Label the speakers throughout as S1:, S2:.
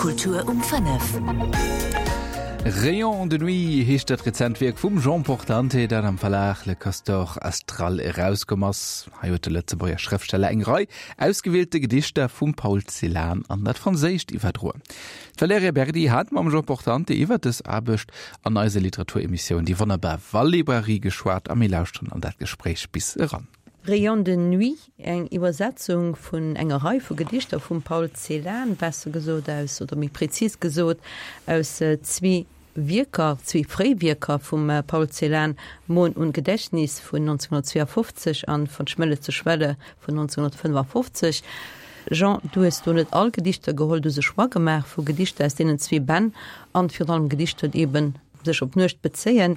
S1: Kultur um 5.
S2: Rayon de nuit heescht dat rezent Wierk vum Jean Portante, dat am Verlag Le Castor Astral erauskomm ass. Hei huet de Lëtzebuerger Schrëftsteller eng Rei ausgewielte Gedichter vum Paul Celan an dat Franséischt iwwerdroen. D'Valerija Berdi hat mam Jean Portante iwwer dës Aarbecht an eiser Literaturemissioun Déi wonnerbar Wallibrairie geschwat a mir lauschteren an dat Gespréich bis eran.
S3: Rayon de nuit, eng Iwwersetzung vun enger Rei vu Gedichter vum Paul Celan, besser gesot aus, oder méi prezis gesot, aus zwee Wierker, zwee fréi Wierker vum Paul Celan, Mohn und Gedächtnis vun 1952 an Von Schwelle zu Schwelle vun 1955. Jean, du hues do net all Gedichter geholl, du hues e Choix gemaach vu Gedichter aus deenen zwee Bänn an virun allem Gedichter, déi eben sech op d'Nuecht bezéien.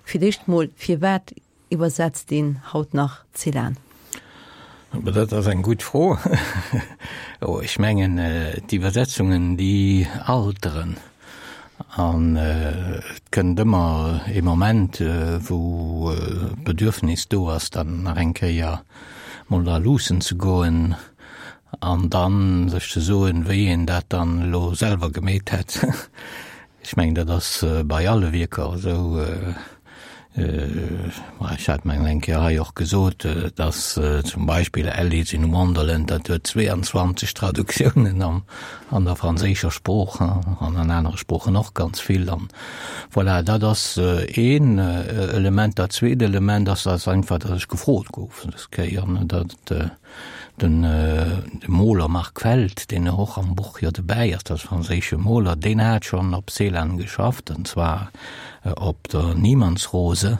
S3: Fir d'éischt mol, firwat Iwwersetzt een haut nach Celan?
S4: Dat ass eng gutt Fro. Ech mengen, d'Iwwersetzungen, déi alteren. An et kënnt ëmmer ee Moment, wou d'Bedürfnis do ass, dann nach eng Kéier mol dra luussen ze goen an da sech ze soen, wéi een dat dann elo selwer gemeet hätt. Ech mengen, dat ass bei alle Wierker esou. Ech hat mengen eng Kéier hei och gesot, datt zum Beispill Alice in Wonderland, dat huet 22 Traductiounen an an der franséischer Sprooch an an anere Sproochen och ganz vill. An voilà, dat ass een Element. Dat zweet Element ass, ass einfach, datt ech gefrot gouf dës Kéier, datt Den Moler Marc Feld, deen och am Buch jo dobäi ass, dat ass e franséische Moler, deen hat schonn op Celan geschafft, an zwar op der Niemandsrose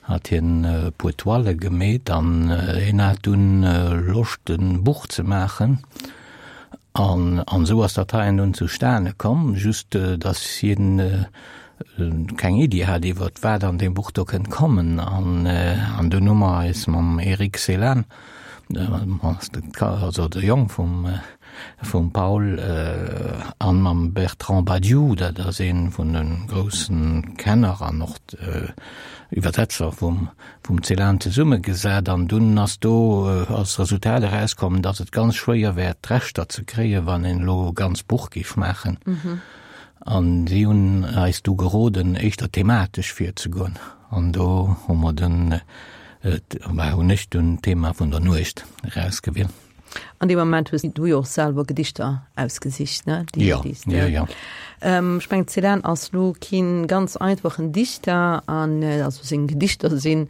S4: hat hien e puer Toile gemeet an hien hat dunn Loscht e Buch ze maachen an an esou ass dat heien dunn zustane komm, just datt hien keng Iddi hat iwwert wat an deem Buch do kënnt kommen an an dunn hu mer eis mam Eric Celan also de Jong vum vum Paul an mam Bertrand Badiou, dat ass ee vun de grousse Kenner an och Iwwersetzer vum vum Celan zesummegesat an dunn ass do als Resultat erauskomm, datt et ganz schwéier wär d'Rechter ze kréien, wann een elo e ganz Buch géif maachen. An si hunn eis du geroden, éischter thematesch virzegoen. An do hu mer dunn, bah, hunn ech dunn d'Thema vun der Nuecht erausgewielt.
S3: An deem Moment hues du jo och selwer Gedichter ausgesicht, ne?
S4: Déi, ja, déi ja, ja.
S3: Ähm, ech mengen, Celan ass lo keen ganz einfachen Dichter an also seng Gedichter sinn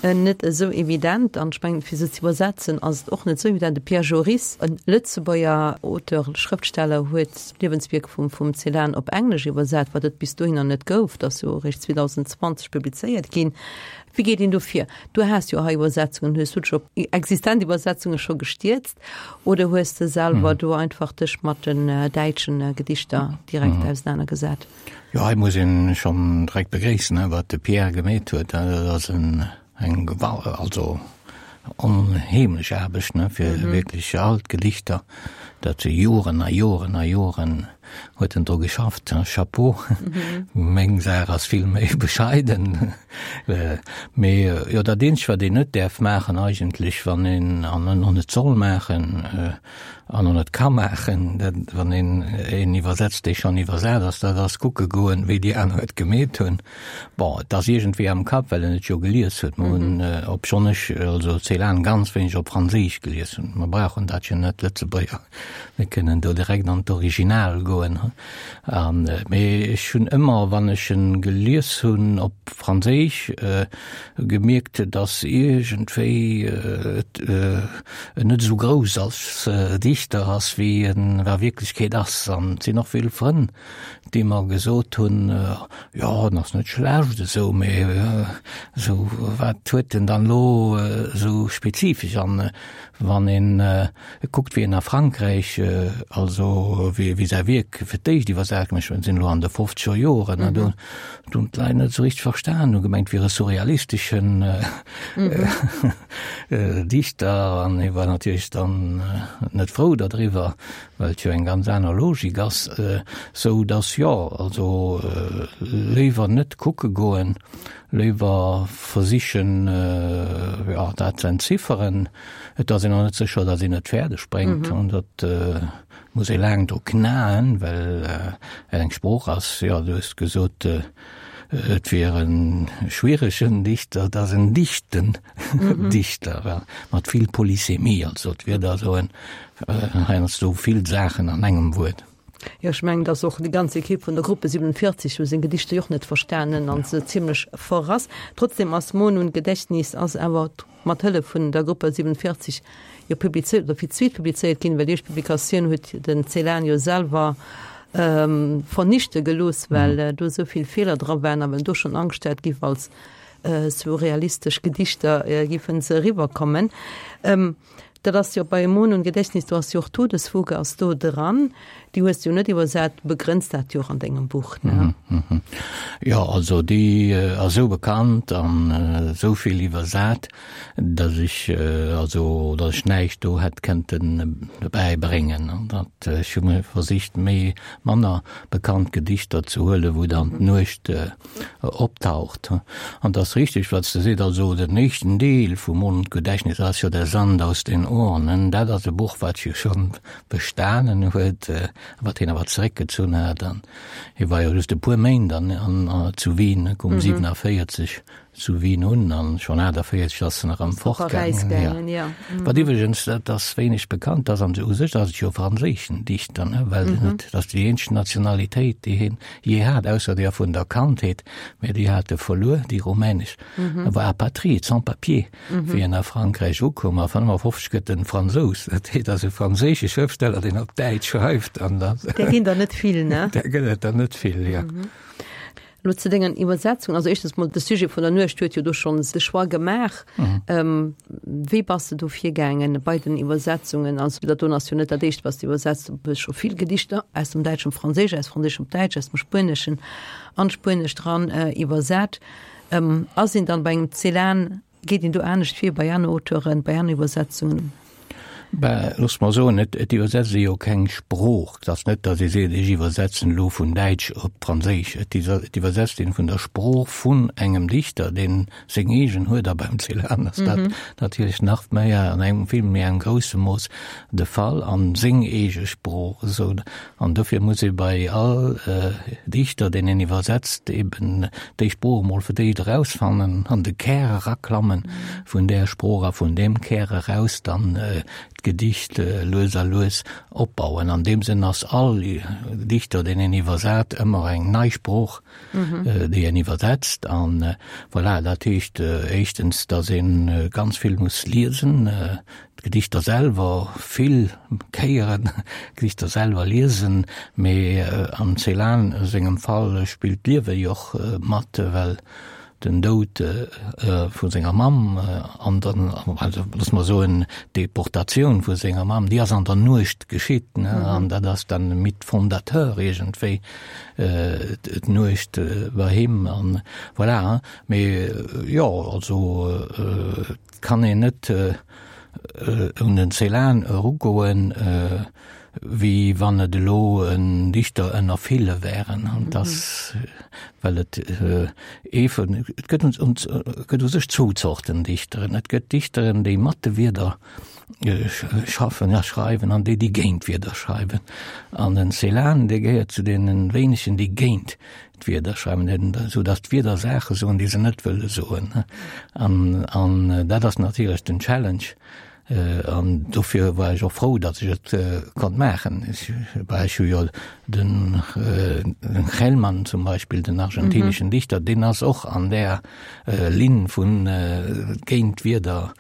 S3: net esou evident an ech mengen, fir se ze iwwersetzen ass et och net esou evident. De Pierre Joris, e Lëtzebuerger Auteur, Schrëftsteller, huet d'Liewenswierk vum vum Celan op Englesch iwwersat, wat et bis dohinner net gouf. Dat ass jo eréischt 2020 publizéiert ginn. Wéi geet een do vir? Du has jo hei Iwwersetzungen, hues du dech op existent Iwwersetzunge scho gestierzt oder hues de selwer do einfach dech mat den däitschen Gedichter direkt ausenanergesat?
S4: Jo, hei muss een schonn direkt begréissen, wat de Pierre gemeet huet. Dat ass en, eng gewal-, also onheemlech Aarbecht, ne, fir wierklech all d'Gedichter, dat si Joren a Joren a Joren huet en dru geschafft. Chapeau. Meng Saach ass vill méi bescheiden. Mee jo, dat eenzegt, wat een net däerf maachen eigentlech, wann een, an och net soll maachen, an och net ka maachen, dat wann een een iwwersetzt, dee schonn iwwersat ass, dat ass kucke goen, wéi déi aner et gemeet hunn. Bon, et ass iergendwéi am Kapp, well en et jo gelies huet. Mer hunn, obschonn ech also Celan ganz wéineg op Franséisch gelies hunn, mer brauchen dat jo net, Lëtzebuerger, mir kënnen do direkt an d'Original goen. An, mee ech hunn ëmmer, wann ech en gelies hunn op Franséisch, gemierkt, dass iergendwéi et en net esou grouss als Dichter ass, wéi en a Wierklechkeet ass. An et sinn och vill Frënn, déi mer gesot hunn, jo, en ass net schlecht esou, mee esou, wat huet en dann elo esou spezifesch? An wann een kuckt, wéi en a Frankräich, also wéi säi Wierk fir d'éischt iwwersat ginn ass, ech sinn elo an de fofzeger Joren, do hunn d'Leit net esou richteg verstan, hu gemengt, et wier e surrealisteschen Dichter an hie war natierlech dann net frou dadriwwer, well et jo eng ganz aner Logik ass, sou datt jo, also léiwer net kucke goen, léiwer versichen, jo, dat ze entzifferen. Et ass een och net sécher, datt een et fäerdeg bréngt, dat. Muss ee laang dru knaen, well et eng Sprooch ass, jo, du hues gesot, et wier e schwieregen Dichter, et ass en dichten Dichter, mat vill Polysemie, also d'Wierder soen heiansdo vill Saachen an engem Wuert.
S3: Jo, ech mengen, datt och déi ganz Ekipp vun der Gruppe 47 hu seng Gedichter jo och net verstanen an se zimlech verrass. Trotzdem ass Mohn und Gedächtnis ass awer mat Hëllef vun der Gruppe 47 jo publizéiert oder fir d'zweet publizéiert ginn, well déi éischt Publikatioun huet den Celan jo selwer vernichte gelooss, well do esou vill Feeler dra waren a well en do schonn Angscht hat, giff als surrealistesch Gedichter giffen se eriwwerkommen. Dat ass jo bei Mohn und Gedächtnis, do ass jo och Todesfuge ass do dran. Déi hues de jo net iwwersat, du begrënns dat jo och an dengem Buch, ne?
S4: Jo, also déi ass esou bekannt an esou vill iwwersat, datt ech also datt ech näischt do hätt kënnten dobäi bréngen. An dat ech hu versicht méi manner bekannt Gedichter ze huelen, wou dann d'Nuecht optaucht. An et ass richteg, wat s de seet, also den éischten Deel vum Mondgedächtnis ass jo Der Sand aus den Urnen. Dat ass e Buch, wat jo scho bestanen huet, wat hien awer zeréckgezunn hat. An hie war jo just e puer Méint an zu Wien, koum 47 zu Wien un an schonn 48 ass en erëm fortgaangen. Ja. Wat iwwregens, dat ass wéineg bekannt, ass an u sech ass et jo e franséischen Dichter, ne, well en huet, dat ass déi eenzeg Nationalitéit, déi hien jee hat, ausser där vun der Kandheet, mä déi hat e verluer, déi rumänesch. E war apatride, sans papiers, wéi en a Frankräich ukoum. A 55 gëtt en Fransous. Dat heet, ass e franséische Schrëftsteller, deen op Däitsch schreift an
S3: dann. Där ginn der net vill, ne?
S4: Där gëtt et der net vill, jo.
S3: Elo zu dengen Iwwersetzungen, also éischtens mol de Sujet vun der Nuecht huet jo do schonns de Choix gemaach. Wéi bass de do virgaangen bei den Iwwersetzungen? Also dat doen ass jo net dat éischt wat s de iwwersetzt, du hues scho vill Gedichter aus dem Däitschen op Franséisch, aus Franséisch op Däitsch, aus dem Spueneschen an d'Spuenescht ran iwwersat. Ass een dann bei engem Celan Geet een do anescht vir bei aner Auteuren, bei aner Iwwersetzungen?
S4: Ben, looss mer soen, et, et iwwersetzt ee jo keng Sprooch. Et ass net, datt ee seet, ech iwwersetzen elo vun Däitsch op Franséisch. Et et iwwersetzt een vun der Sprooch vun engem Dichter, deen seng eegen huet, a beim Celan ass dat natierlech nach méi an engem vill méi engem grousse Mooss de Fall, an seng eege Sprooch esou. An dofir muss ee bei all Dichter, deen een iwwersetzt, eben déi Sprooch emol fir d'éischt erausfannen, an de Kär eraklammen vun där Sprooch a vun deem Kär eraus dann d'Gedicht lues a lues opbauen. An deem Sënn ass all Dichter, deen een iwwersat, ëmmer eng nei Sprooch, déi een iwwersetzt. An voilà, dat heescht éischtens, datt ee ganz vill muss liesen, d'Gedichter selwer vill Kéieren d'Gedichter selwer liesen, mee am Celan sengem Fall spillt d'Liewe jo och mat, well den Doud vu senger Mamm an dann, also loosse mer soen, d'Deportatioun vu senger Mamm, déi ass an der Nuecht geschitt, ne, an dat ass dann Mythe fondateur iergendwéi, d'Nuecht bei him an voilà. Mee jo, also et kann een net un den Celan erugoen, wéi wann et elo en Dichter ënner ville wären. An dass, well et ee vun, et gëtt et gëtt u sech zwou Zorten Dichteren. Et gëtt Dichteren, déi mat de Wierder schaffen a schreiwen an déi, déi géint d'Wierder schreiwen. An den Celan, dee gehéiert zu deene wéinegen, déi géint d'Wierder schreiwen, esou datt d'Wierder Saache soen, déi se net wëlle soen. An, an dat ass natierlech den Challenge. An dofir war ech och frou, datt ech et konnt maachen. Ech, bah, ech hu jo den, den Gelman zum Beispill, den argentineschen Dichter, deen ass och an där Linn vun géint d'Wierder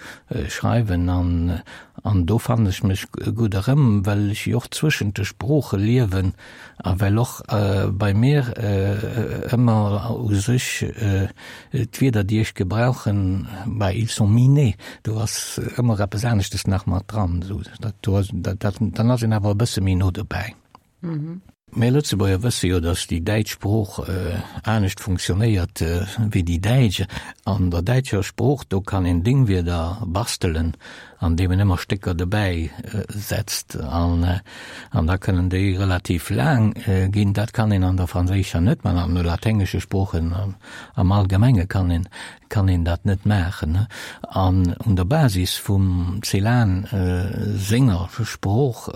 S4: schreiwen. An, an do fannen ech mech gutt erëm, well ech jo och zwëschent de Sprooche liewen. A well och bei mir ëmmer u sech d'Wierder, déi ech gebrauchen, bah, ils sont minés, do ass ëmmer eppes aneschtes nach mat dran, esou dat do ass, dat, dann ass een awer e bësse méi no dobäi. Mir Lëtzebuerger wësse jo, datt déi däitsch Sprooch anescht funktionéiert wéi déi däitsch. An der däitscher Sprooch, do kann een Dingwierder bastelen. an deem en ëmmer Stécker dobäi setzt an an da kënnen déi relativ laang ginn. Dat kann een an der franséischer net man, an de laténgesche Sproochen am Allgemenge kann een kann een dat net maachen. An un der Basis vum Celan senger Sprooch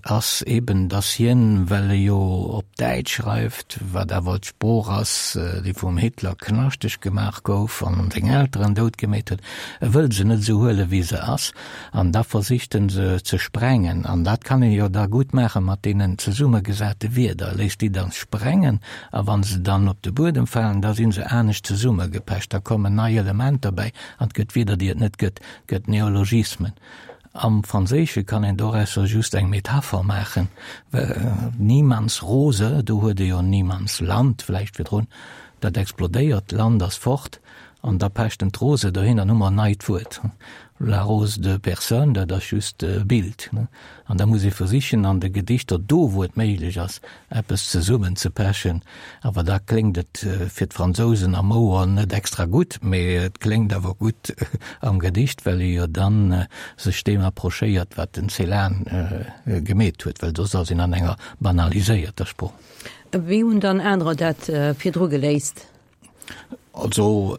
S4: ass eben, dass hien, well e jo op Däitsch schreift, wat awer d'Sprooch ass, déi vum Hitler knaschteg gemaach gouf an seng Elteren dout gemeet huet, e wëll se net esou huelen, wéi se ass, an da versicht en se ze sprengen. An dat kann ee jo da gutt maache mat deenen zesummegesate Wierder, e léisst déi dann sprengen, a wa se dann op de Buedem falen, da si se anescht zesummegepecht, da kommen nei Elementer bäi an et gëtt Wierder, déi et net gëtt, et gëtt Neologismen. Am Franséische kann een dorausser just eng Metapher maachen, Niemands Rose, do huet ee jo Niemandsland vläicht virdrun, dat explodéiert, d'Land ass fort, an da pecht en d'Rose dohin, dann hu mer en neit Wuert, la rose de personne, dat ass just e Bild. An da muss ee versichen, an de Gedichter, do wou et méiglech ass, eppes zesummen ze pechen, awer da kléngt et fir d'Fransousen am Ouer net extra gutt, mee et kléngt awer gutt am Gedicht, well ee jo dann sech deem approchéiert, wat den Celan gemeet huet, well soss ass een an enger banaliséierter Sprooch.
S3: Wéi hunn dann anerer dat virdru geléist?
S4: Also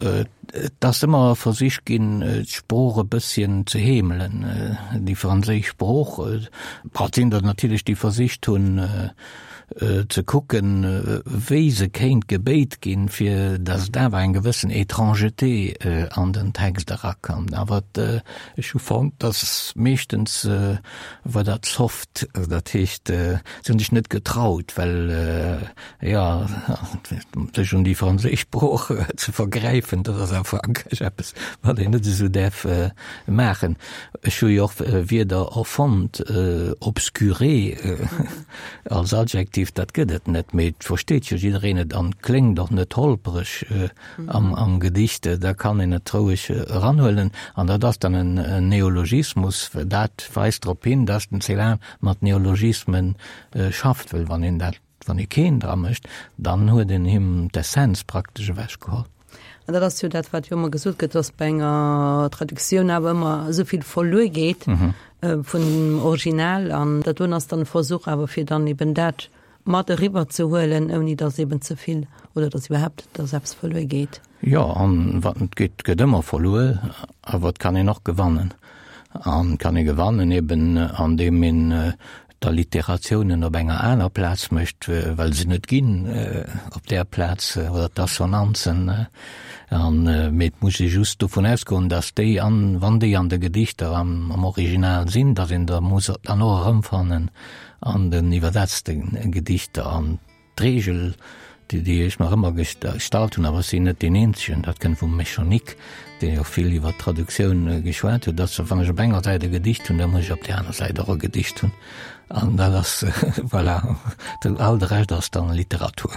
S4: et ass ëmmer versicht ginn, d'Sprooch e bësschen ze heemelen, déi franséisch Sprooch. Et sinn der natierlech, déi versicht hunn ze kucken, wéi se kéint gebéit ginn, fir datt et awer eng gewëssen Étrangeté an den Text erakënnt. Awer ech hu fonnt, datt meeschtens war dat soft, dat heescht, se hunn sech net getraut, well Jo, sech un déi franséisch Sprooch ze vergräifen, dat ass a Frankräich eppes, wat een net esou däerf maachen. Ech hu jo och Wierder erfonnt, obscuré als Adjektiv, dat gëtt et net, mee et versteet jo jiddereen et an kléngt och net holpereg am Gedicht. Da kann een et roueg eranhuelen an dat ass dann en Neologismus. Dat weist drop hin, dass den Celan mat Neologismen schafft, well wann een dat Wann ee keen dra mécht, dann huet een him d'Essenz praktesch ewechgeholl.
S3: An dat ass jo dat, wat jo ëmmer gesot gëtt, dass bei enger Traduktioun awer ëmmer esou vill verluer geet vun dem Original. An dat doen ass dann e Versuch awer, fir dann eben dat mat eriwwer ze huelen, ouni dass eben ze vill oder dass iwwerhaapt dass eppes verluer geet.
S4: Jo, an wat net geet, gëtt ëmmer verluer, awer et kann een och gewannen. An et kann ee gewannen eben andeem een d'Alliiteratiounen op enger aner Plaz mécht, well se net ginn op där Plaz, oder d'Assonanzen. An, mee et muss ee just dovun ausgoen, datt déi an, wann déi an de Gedichter am, am Original sinn, datt een der muss dann och erëmfannen an den iwwersetzte Gedichter. An D'Reegel, déi ech mer ëmmer gestallt hunn, awer ech sinn net deen Eenzegen, dat kënnt vum Meschonnic, deen jo vill iwwer d'Traduktioun geschwat huet, ass, wann ech op enger Säit e Gedicht hunn, da muss ech op där aner Säit och e Gedicht hunn. An dat ass, voilà, all de Rescht ass dann Literatur.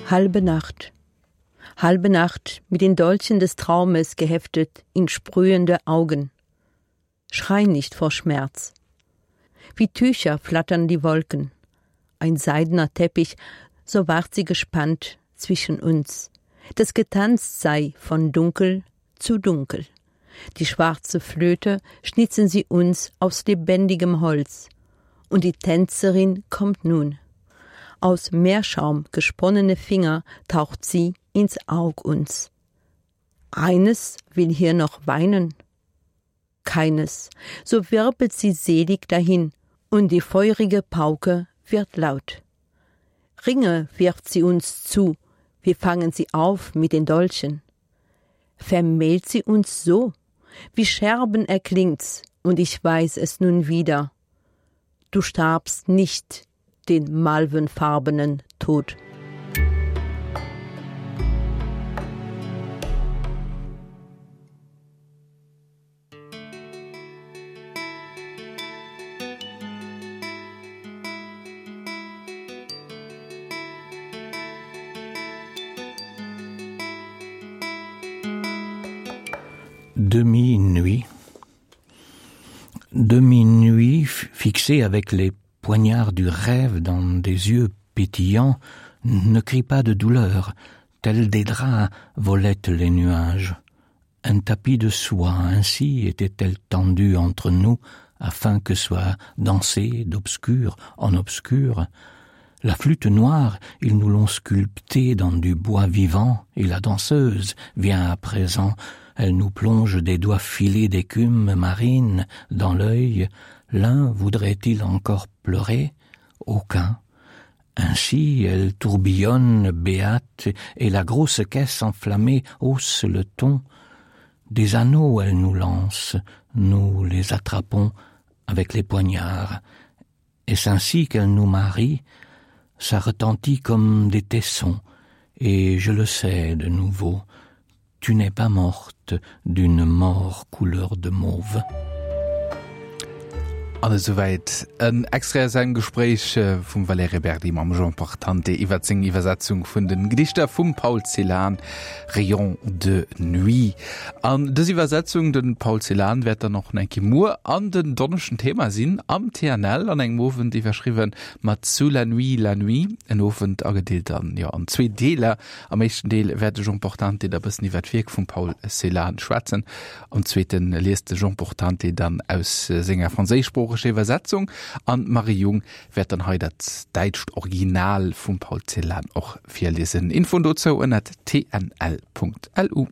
S3: Halbe Nacht. Halbe Nacht mit den Dolchen des Traumes geheftet in sprühende Augen. Schrei nicht vor Schmerz. Wie Tücher flattern die Wolken. Ein seidener Teppich, so ward sie gespannt zwischen uns, dass getanzt sei von dunkel zu dunkel. Die schwarze Flöte schnitzen sie uns aus lebendigem Holz, und die Tänzerin kommt nun. Aus Meerschaum gesponnene Finger taucht sie ins Aug uns. Eines will hier noch weinen, keines, so wirbelt sie selig dahin, und die feurige Pauke wird laut. Ringe wirft sie uns zu, wir fangen sie auf mit den Dolchen. Vermählt sie uns so, wie Scherben erklingt's, und ich weiß es nun wieder. Du starbst nicht den malvenfarbenen Tod.
S4: Demi-nuit. Demi-nuit fixée avec les. poignard du rêve dans des yeux pétillants ne crie pas de douleur, tels des draps volettent les nuages. Un tapis de soie ainsi était-elle tendue entre nous afin que soit dansé d'obscur en obscur. La flûte noire, ils nous l'ont sculptée dans du bois vivant, et la danseuse vient à présent, elle nous plonge des doigts filés d'écume marine dans l'œil, l'un voudrait-il encore pleurer Aucun. Ainsi elle tourbillonne béate et la grosse caisse enflammée hausse le ton. Des anneaux elle nous lance, nous les attrapons avec les poignards. Est-ce ainsi qu'elle nous marie Ça retentit comme des tessons, et je le sais de nouveau, tu n'es pas morte d'une mort couleur de mauve.
S2: An esouwäit en Extrait aus engem Gespréich vum Valerija Berdi mam Jean Portante iwwer seng Iwwersetzung vun den Gedichter vum Paul Celan, Rayons de nuit. An dës Iwwersetzung, de Paul Celan, wäert dann och nach eng Kéier muer an den Donneschden Thema sinn am TNL an engem Owend iwwerschriwwen mat Sous la nuit, la nuit. En Owend agedeelt an, jo, an zwee Deeler. Am éischten Deel wäert de Jean Portante da bëssen iwwer d'Wierk vum Paul Celan schwätzen. Am zweete liest de Jean Portante dann aus senger franséischsproocheger Iwwersetzung an d'Marie Jung wäert dann hei dat däitscht Original vum Paul Celan och virliesen. Infoen dozou ënnert tnl.lu.